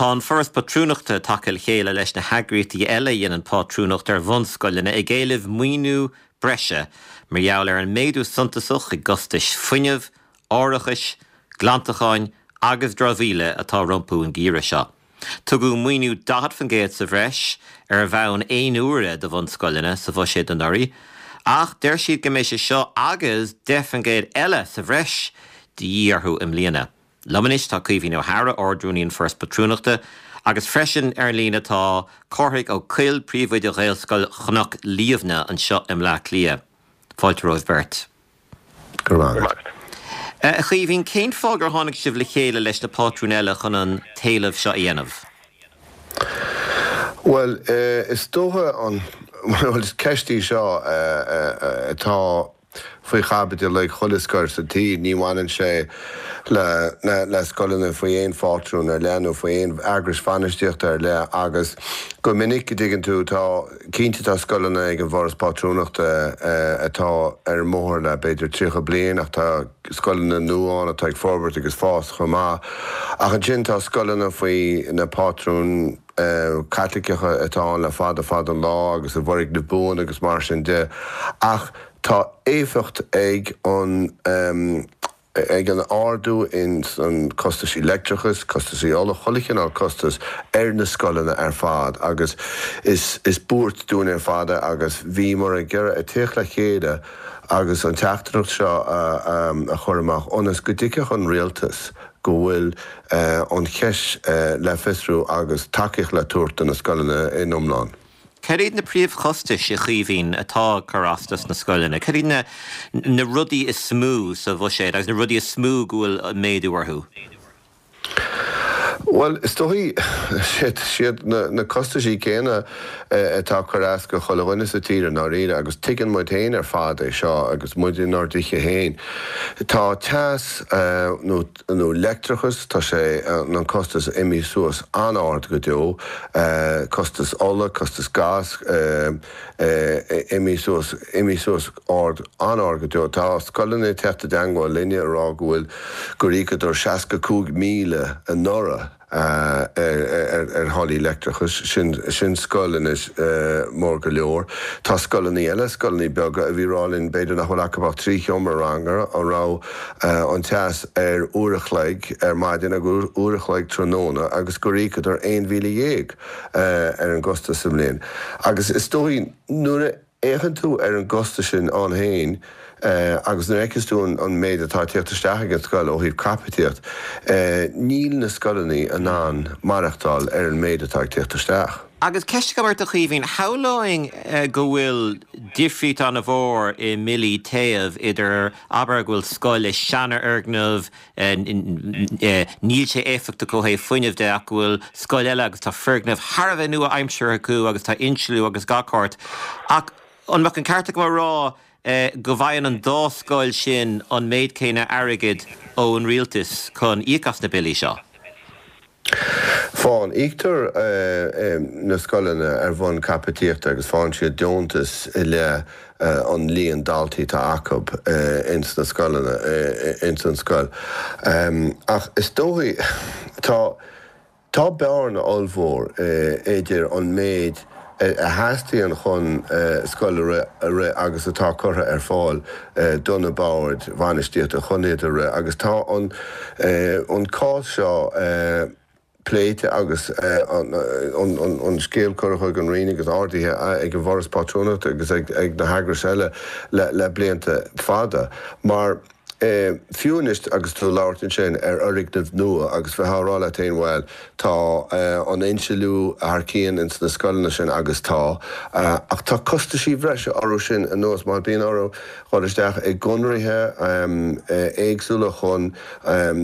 Tá an Foras Pátrúnachta tagtha le chéile leis na heagraíochtaí eile a dhéanann pátrúnacht ar bhunscoileanna ag éileamh maoiniú breise mar gheall ar an méadú suntasach i gcostais fuinnimh, árachais, glantacháin agus dramhaíola atá rompu an geimhreadh seo. Tugadh maoiniú 40% sa bhreis ar bhonn aon uaire do bhunscoileanna sa bhuiséad anuraidh ach deir siad go mbeidh sé seo agus 10% eile sa bhreis de dhíth orthu i mbliana. Liom anois tá Caoimhín Ó hEadhra, Ard-Rúnaí an Foras Patrúnachta, agus freisin ar an líne tá Cárthaigh Ó Cuill, Príomhoide Ghaelscoil Chnoc Liamhna anseo i mBleá Cliath. Fáilte romhaibh beirt. Go raibh maith agat. A Chaoimhín, cén fáth gur tháinig sibh le chéile leis na pátrúin eile chun an t-éileamh seo a dhéanamh? Bhuel, is dócha an, bhuel, is ceist í seo atá faoi chaibidil ag chuile scoil sa tír. Ní bhaineann sé le, le scoileanna faoi aon phátrún ar leith nó faoi aon eagrais bhainistíochta ar leith agus go minic, a dtuigeann tú, tá, cinnte tá scoileanna ag an bhForas Pátrúnachta atá ar an mbóthar le b'fhéidir 30 bliain ach tá scoileanna nua ann atá ag forbairt agus fás chomh maith. Ach ansin tá scoileanna faoi na pátrúin Caitliceacha atá ann le fada fada an lá agus i bhfoirgnimh buan agus mar sin de. Ach tá éifeacht ag an ag an ardú ins an costaisí leictreachais, costaisí ola, chuile chineál costas ar na scoileanna ar fad agus is is buairt dúinn ar fad é agus bhíomar ag iarraidh a tíocht le chéile agus an teachtaireacht seo a a chur amach ionas go dtuigfeadh an rialtas go bhfuil an cheist le fiosrú agus tacaíocht le tabhairt do na scoileanna in iomlán. Cad iad na príomhchostais, a Chaoimhín, atá ag cur as dos na scoileanna? Cad iad na na rudaí is mó sa bhuiséad agus na rudaí is mó go bhfuil méadú orthu? Bhuel, is dóigh, siad na costaisí céanna atá ag cur as do chuile dhuine sa tír i ndáiríre agus tuigeann muid féin ar fad é seo agus muid inár dtithe féin. Tá teas nó nó leictreachas, tá sé, an costas imithe suas an-ard go deo, costas ola, costas gas, imithe suas, imithe suas ard, an-ard go deo. Tá scoileanna ag teacht i dteangmháil linne ag rá go bhfuil, gur íocadar 65,000 anuraidh ar tháillí leictreachais, sin, sin scoil anois mór go leor. Tá scoileanna eile, scoileanna beaga a bhí ag rá linn b'fhéidir nach bhfuil acu ach 3 sheomra ranga, a raibh an teas ar uair a chloig ar maidin agus uair a chloig tráthnóna agus gur íocadar 11,000 ar an gcostas sa mbliain. Agus is dóigh nuair a fhéachann tú ar an gcostas sin ann féin agus nuair a fheiceas tú an méid atá ag tíocht isteach ag an scoil ó thaobh caipitíocht, níl na scoileanna in ann maireachtáil ar an méid atá ag tíocht isteach. Agus ceist agam ort a Chaoimhín, shamhlóinn go bhfuil difríocht an-mhór i mbillí téimh idir, abair go bhfuil scoil i seanfhoirgneamh, níl sé éifeachtach ó thaobh fuinnimh de ach go bhfuil scoil eile agus tá foirgneamh thar a bheith nua-aimseartha acu agus tá insliú agus gach ceart. Ach an mbeadh an ceart agam a rá go bhfaigheann an dá scoil sin an méid céanna airgid ón rialtas chun íoc as na billí seo? Faigheann. Íoctar na scoileanna ar bhonn caipitíochta agus faigheann siad deontas i leith an líon daltaí atá acu ins na scoileanna, ins an scoil. Ach is dóigh, tá, tá bearna ollmhór idir an méid a theastaíonn chun scoil a rith agus atá curtha ar fáil do na boird bhainistíochta chun iad a rith agus tá an cás seo pléite agus an scéal curtha chuig an Roinn agus ardaithe ag an bhForas Pátrúnachta agus ag na heagrais eile le blianta fada mar Fiú anois agus tú ag labhairt ansin ar fhoirgnimh nua agus bheith á rá leat féin, bhuel, tá an insliú thar cionn ins na scoileanna sin agus tá, ach tá costaisí bhreise orthu sin anuas mar bíonn orthu dhul isteach i gconraithe éagsúla chun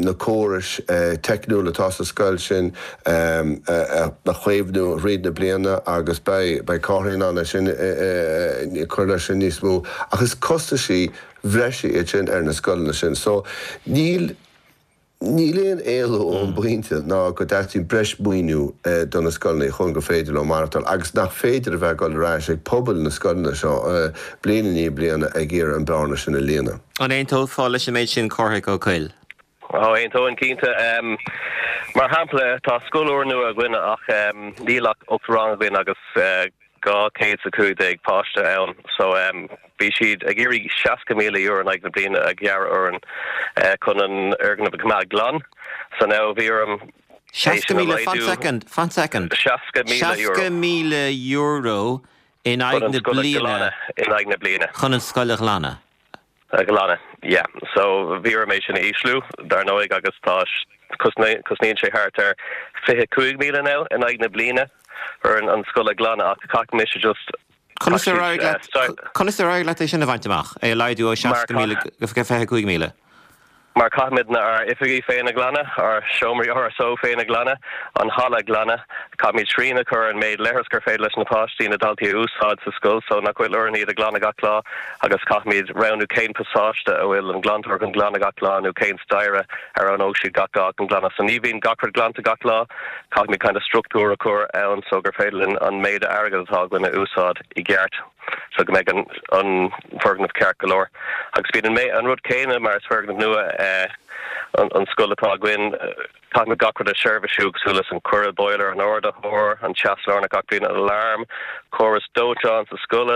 na córais teicniúla atá sa scoil sin a chaomhnú thríd na bliana agus beidh Cárthaigh in ann é sin cur leis sin níos mó ach is costaisí bhreise iad sin ar na scoileanna sin. So níl, níl aon éalú ón bpointe ná go dteastaíonn breis maoiniú do na scoileanna chun gur féidir leo maireachtáil agus nach féidir a bheith ag dul ar ais ag pobail na scoileanna seo bliain i ndiaidh bliana ag iarraidh an bearna sin a líonadh. An aontófá leis an méid sin, Cárthaigh Ó Cuill? Ó, aontóinn cinnte. Mar shampla, tá scoil úrnua againn ach níl ach 8 rang againn agus 215 páiste ann so bhí siad ag iarraidh €60,000 in aghaidh na bliana a ghearradh orainn chun an fhoirgneamh a choimeád glan. So now bhí orm é sin a 60,000, fan laghdú. soicind, fan soicind. €60,000. €60,000 in Chun aghaidh an na scoil a bliana. ghlanadh in aghaidh na bliana. Chun an scoil a ghlanadh. A ghlanadh, yeah. So bhí orm é sin a ísliú, dar ndóigh, agus tá, cosnaíonn sé thart ar 25,000 now in aghaidh na bliana orainn an scoil a ghlanadh ach caithfidh mise just, Conas ar éirigh leat, conas ar éirigh leat é sin a bhaint amach, é a laghdú ó 60,000 go 25,000? Mar caithfimidne ár oifigí féin a ghlanadh, ár seomraí RSO féin a ghlanadh, an halla a ghlanadh. Caithfimid srian a chur ar an méid leithreas gur féidir leis na páistí, na daltaí a úsáid sa scoil so nach bhfuil orainn iad a ghlanadh gach lá agus caithfimid roghnú cén pasáiste a bhfuil an glantóir chun glanadh gach lá nó cén staighre a roghnóidh siad gach lá chun glanadh. So ní bhíonn gach rud glanta gach lá. Caithfimid kind of struchtúr a chur ann so gur féidir linn an méid airgead atá againn a úsáid i gceart. so go mbeidh an foirgneamh ceart go leor. Agus bíonn an an rud céanna mar is foirgneamh nua an scoil atá againn, caithfimid gach rud a sheirbhisiú cosúil leis an coire boiler, an ardaitheoir, an teas lárnach gach bliain, an alarm, córas dóiteáin sa scoil,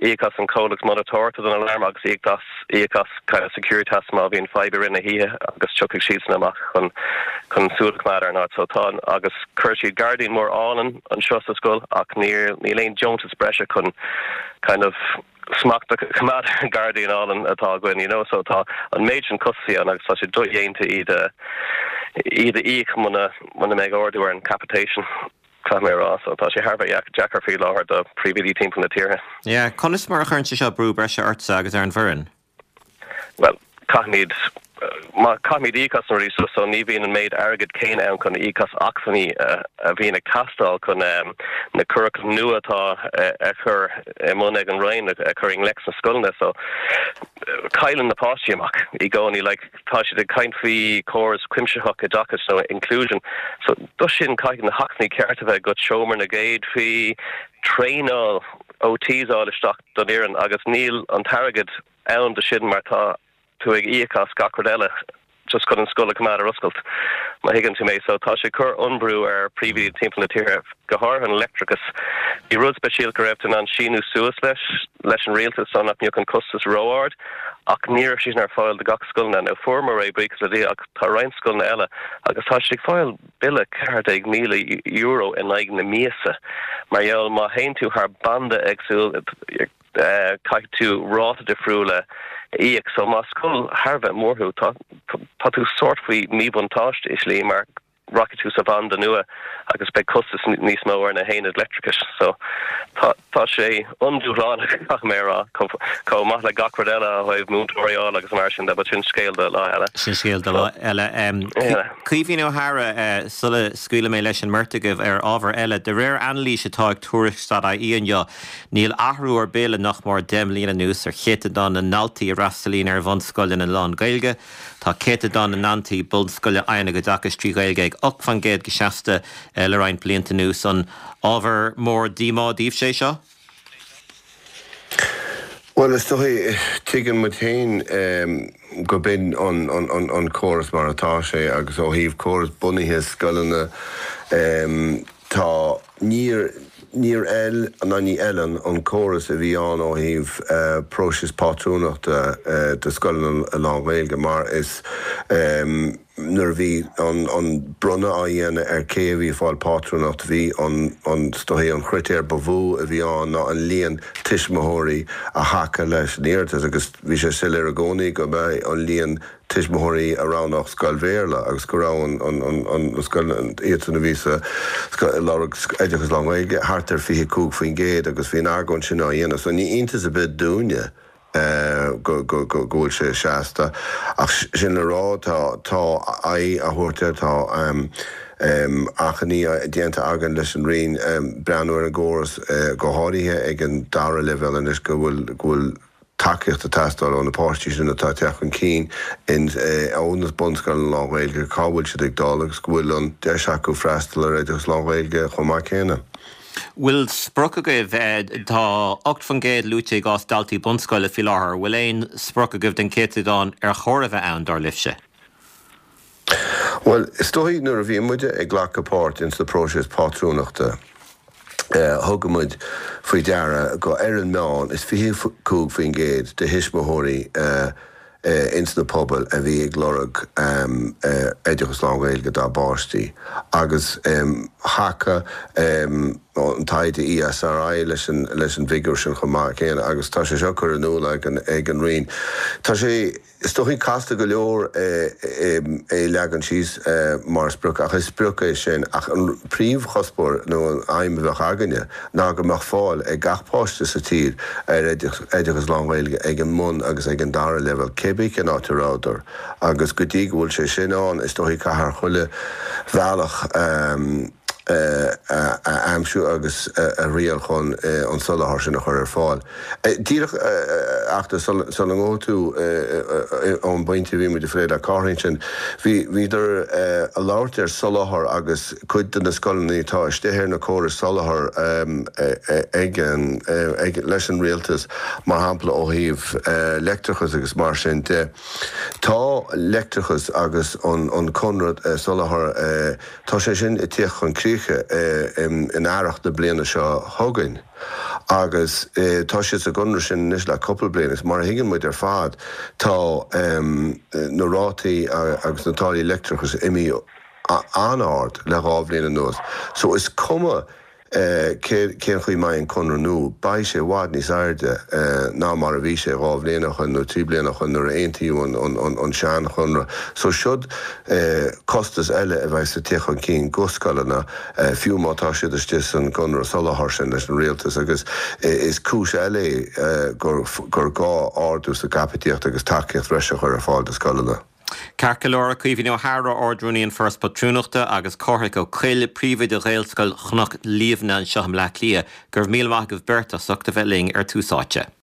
íoc as an comhlacht monatóireachta don alarm agus íoc as íoc as kind of Securitas má bhíonn fadhb i rith na hoíche agus tiocfaidh siadsan amach chun chun súil a choimeád ar an áit. So tá an agus chuir siad gairdín mór álainn anseo sa scoil ach níl níl aon deontas breise chun kind of smacht a choimeád ar an gairdín álainn atá againn you know so tá an méid sin costaisí ann agus tá sé dodhéanta iad a iad a íoc muna muna mbeidh ardú ar an capitation caithfidh mé a rá so tá sé thar a bheith deacair faoi láthair do phríomhoidí timpeall na tíre. Yeah, conas mar a chuireann sé seo brú breise ortsa agus ar an bhfoireann? Bhuel, caithfimid, má, caithfimid íoc as na rudaí seo so ní bhíonn an méid airgid céanna ann chun íoc as acmhainní a bhíonn ag teastáil chun na curaclaim nua atá á chur i mbun ag an Roinn a chur i ngleic sna scoileanna so cailleann na páistí amach i gcónaí like tá siad ag caint faoi chóras cuimsitheach oideachais nó inclusion so do sin caithfidh na hacmhainní cearta a bheith agat, seomra na gcéadfaí, traenáil OTs a fháil isteach don fhoireann agus níl an t-airgead ann do sin mar tá tú ag íoc as gach rud eile just chun an scoil a choimeád ar oscailt, má thuigeann tú mé. So tá sé ag cur an-bhrú ar phríomhoidí timpeall na tíre, go háirithe an leictreachas. Bhí rud speisialta go raibh tú in ann síniú suas leis, leis an rialtas so nach mbeadh an costas ró-ard ach ní raibh sé sin ar fáil do gach scoileanna. Now fuaireamar é, buíochas le Dia, ach tá roinnt scoileanna eile agus tá siad ag fáil bille €14,000 in aghaidh na míosa mar gheall má théann tú thar banda éagsúil caithfidh tú ráta difriúil a íoc. So más scoil thar a bheith mór thú tá tá tú sórt faoi míbhuntáiste i slí mar rachaidh tú sa bhanda nua agus beidh costas níos mó ar na haonaid leictreachais. So tá tá sé an-dúshlánach caithfidh mé a rá chomh maith le gach rud eile ó thaobh múinteoirí a fháil agus mar sin de but sin scéal do lá eile. Sin scéal do lá eile. Caoimhín Ó hEadhra, sula scaoilfidh mé leis an mbeirt agaibh ar ábhar eile, de réir anailís atá ag Tuairisc.ie inniu, níl athrú ar bith le nach mór 10 mbliana anuas ar chéatadán na ndaltaí a fhreastalaíonn ar bhunscoileanna lán-Ghaeilge. Tá céatadán na ndaltaí bunscoile a fhaigheann a gcuid oideachais trí Ghaeilge ag 8% go seasta le roinnt blianta anuas. An ábhar mór díomá daoibhse é seo? Bhuel, is dóigh, tuigeann muid féin go b'in an córas mar atá sé agus ó thaobh córas bunaithe scoileanna tá, níor, níor fheil ná ní fheileann an córas a bhí ann ó thaobh próiseas pátrúnachta do scoileanna lán-Ghaeilge mar is Nuair a bhí an bronnadh á dhéanamh ar cé a bhí ag fáil pátrúnacht, bhí an, is dóigh, an chritéar ba mhó a bhí ann ná an líon tuismitheoirí a thacaigh leis an iarratas agus bhí sé soiléir i gcónaí go mba é an líon tuismitheoirí a roghnódh scoil Bhéarla agus go raibh an, an, scoil, iadsan a bhí sa, ag lorg oideachas lán-Ghaeilge, thart ar 25% agus bhí an argóint sin á dhéanamh. So ní iontas ar bith dúinne go bhfuil sé seasta. Ach sin le rá, tá aghaidh á thabhairt air, tá achainí déanta againn leis an Roinn breathnú ar an gcóras, go háirithe ag an dara leibhéal anois, go bhfuil tacaíocht ag teastáil ó na páistí sin atá ag teacht chun cinn in ó na bunscoileanna lán-Ghaeilge, cá bhfuil siad ag dul agus go bhfuil an deis acu freastal ar oideachas lán-Ghaeilge chomh maith céanna. Bhfuil sprioc agaibh? Tá 8% luaite i gcás daltaí bunscoile faoi láthair. Bhfuil aon sprioc agaibh den chéatadán ar chóir a bheith ann, dar libhse? Bhuel, is dóigh nuair a bhí muide ag glacadh páirt ins na próiseas pátrúnachta, thug muid faoi deara go ar an meán is 25% de thuismitheoirí ins na pobail a bhí ag lorg oideachas lán-Ghaeilge dá bpáistí agus thacaigh an taighde ESRI leis an leis an bhfigiúr sin chomh maith céanna agus tá sé seo curtha in iúl ag an ag an Roinn. Tá sé. Is dóichí casta go leor é a leagan síos mar sprioc, ach is sprioc é sin. Ach an príomhchuspóir nó an aidhm a bheadh againne ná go mbeadh fáil ag gach páiste sa tír ar oideachas lán-Ghaeilge ag an mbun agus ag an dara leibhéal, cébí cén áit a rabhadar. Agus go dtí go bhfuil sé sin ann, is dóichí caithfear chuile bhealach a aimsiú agus a thriail chun an soláthar sin a chur ar fáil. Díreach ach sula ngabhfaidh tú ón bpointe a bhí muid ag plé le Cárthaigh ansin, bhíodar ag labhairt ar soláthar agus cuid de na scoileanna atá istigh ar na córais soláthair ag an, leis an rialtas, mar shampla ó thaobh leictreachas agus mar sin de. Tá leictreachas agus an conradh soláthair, tá sé sin ag tíocht chun críche in earrach na bliana seo chugainn. Agus tá siad sa gconradh sin anois le cúpla bliain agus mar a thuigeann muid ar fad tá na rátaí agus na táillí leictreachais imithe an-ard le dhá bhliain anuas. So is cuma cén chaoi a mbeidh an conradh nua, beidh sé i bhfad níos airde ná mar a bhí sé dhá bhliain ó shoin nó trí bliana ó shoin nuair a aontaíodh an seanchonradh. So siod costas eile a bheas ag tíocht chun cinn go scoileanna. fiú má tá siad istigh san gconradh soláthair sin leis an rialtas agus is cúis eile é gur gá ardú sa gcaipítíocht agus tacaíocht bhreise a chur ar fáil do scoileanna. Ceart go leor, Caoimhín Ó hEadhra, Ard-Rúnaí an Foras Pátrúnachta agus Cárthach Ó Cuill, Príomhoide Ghaelscoil Chnoc Liamhna anseo i mBleá Cliath, go raibh míle maith agaibh beirt as ucht a bheith linn ar Tús Áite.